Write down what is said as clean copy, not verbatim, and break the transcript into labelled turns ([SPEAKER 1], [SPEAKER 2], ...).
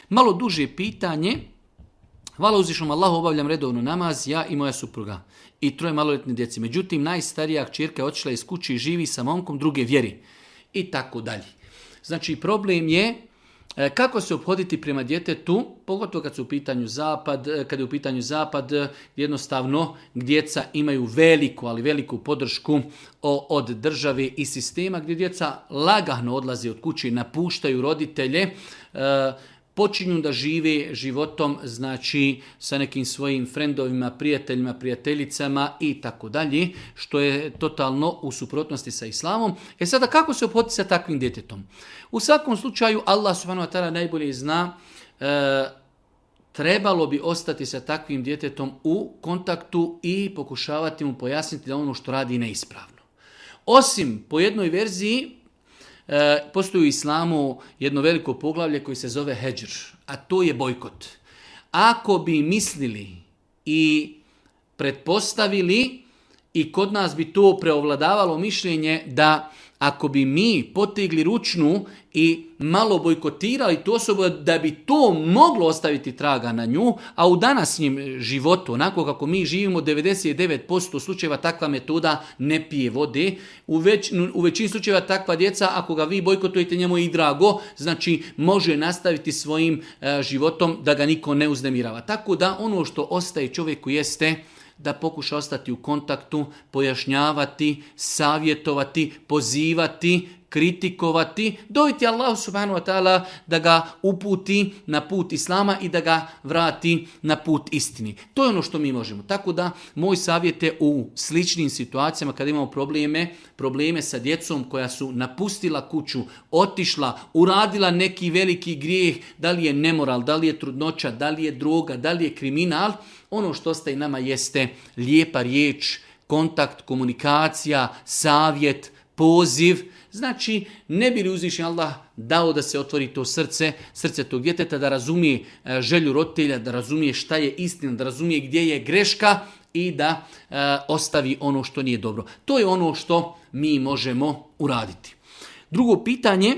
[SPEAKER 1] Malo duže pitanje. Hvala uzvišnom Allahu, obavljam redovno namaz, ja i moja supruga i 3 maloljetne djece. Međutim, najstarija kćerka je otišla iz kuće i živi sa momkom druge vjeri i tako dalje. Znači, problem je kako se ophoditi prema djetetu, pogotovo kad su u pitanju zapad, kad je u pitanju zapad, jednostavno djeca imaju veliku, ali veliku podršku od države i sistema, gdje djeca lagano odlaze od kuće, napuštaju roditelje, počinju da žive životom, znači sa nekim svojim frendovima, prijateljima, prijateljicama i tako dalje, što je totalno u suprotnosti sa islamom. Sada kako se ophoditi sa takvim djetetom? U svakom slučaju Allah subhanahu wa ta'ala najbolje zna, trebalo bi ostati sa takvim djetetom u kontaktu i pokušavati mu pojasniti da ono što radi neispravno. Osim po jednoj verziji, postoji u islamu jedno veliko poglavlje koji se zove hedžr, a to je bojkot. Ako bi mislili i pretpostavili i kod nas bi to preovladavalo mišljenje da ako bi mi potegli ručnu i malo bojkotirali tu osobu da bi to moglo ostaviti traga na nju, a u današnjem životu, onako kako mi živimo, 99% slučajeva takva metoda ne pije vode. U većini slučajeva takva djeca, ako ga vi bojkotujete, njemu je i drago, znači može nastaviti svojim životom da ga niko ne uznemirava. Tako da ono što ostaje čovjeku jeste da pokuša ostati u kontaktu, pojašnjavati, savjetovati, pozivati, kritikovati, doviti Allahu subhanahu wa ta'ala da ga uputi na put Islama i da ga vrati na put istini. To je ono što mi možemo. Tako da moj savjet je u sličnim situacijama kada imamo probleme sa djecom koja su napustila kuću, otišla, uradila neki veliki grijeh, da li je nemoral, da li je trudnoća, da li je droga, da li je kriminal, ono što ostaje nama jeste lijepa riječ, kontakt, komunikacija, savjet, poziv. Znači, ne bi li uzvišen Allah dao da se otvori to srce tog djeteta, da razumije želju roditelja, da razumije šta je istina, da razumije gdje je greška i da ostavi ono što nije dobro. To je ono što mi možemo uraditi. Drugo pitanje,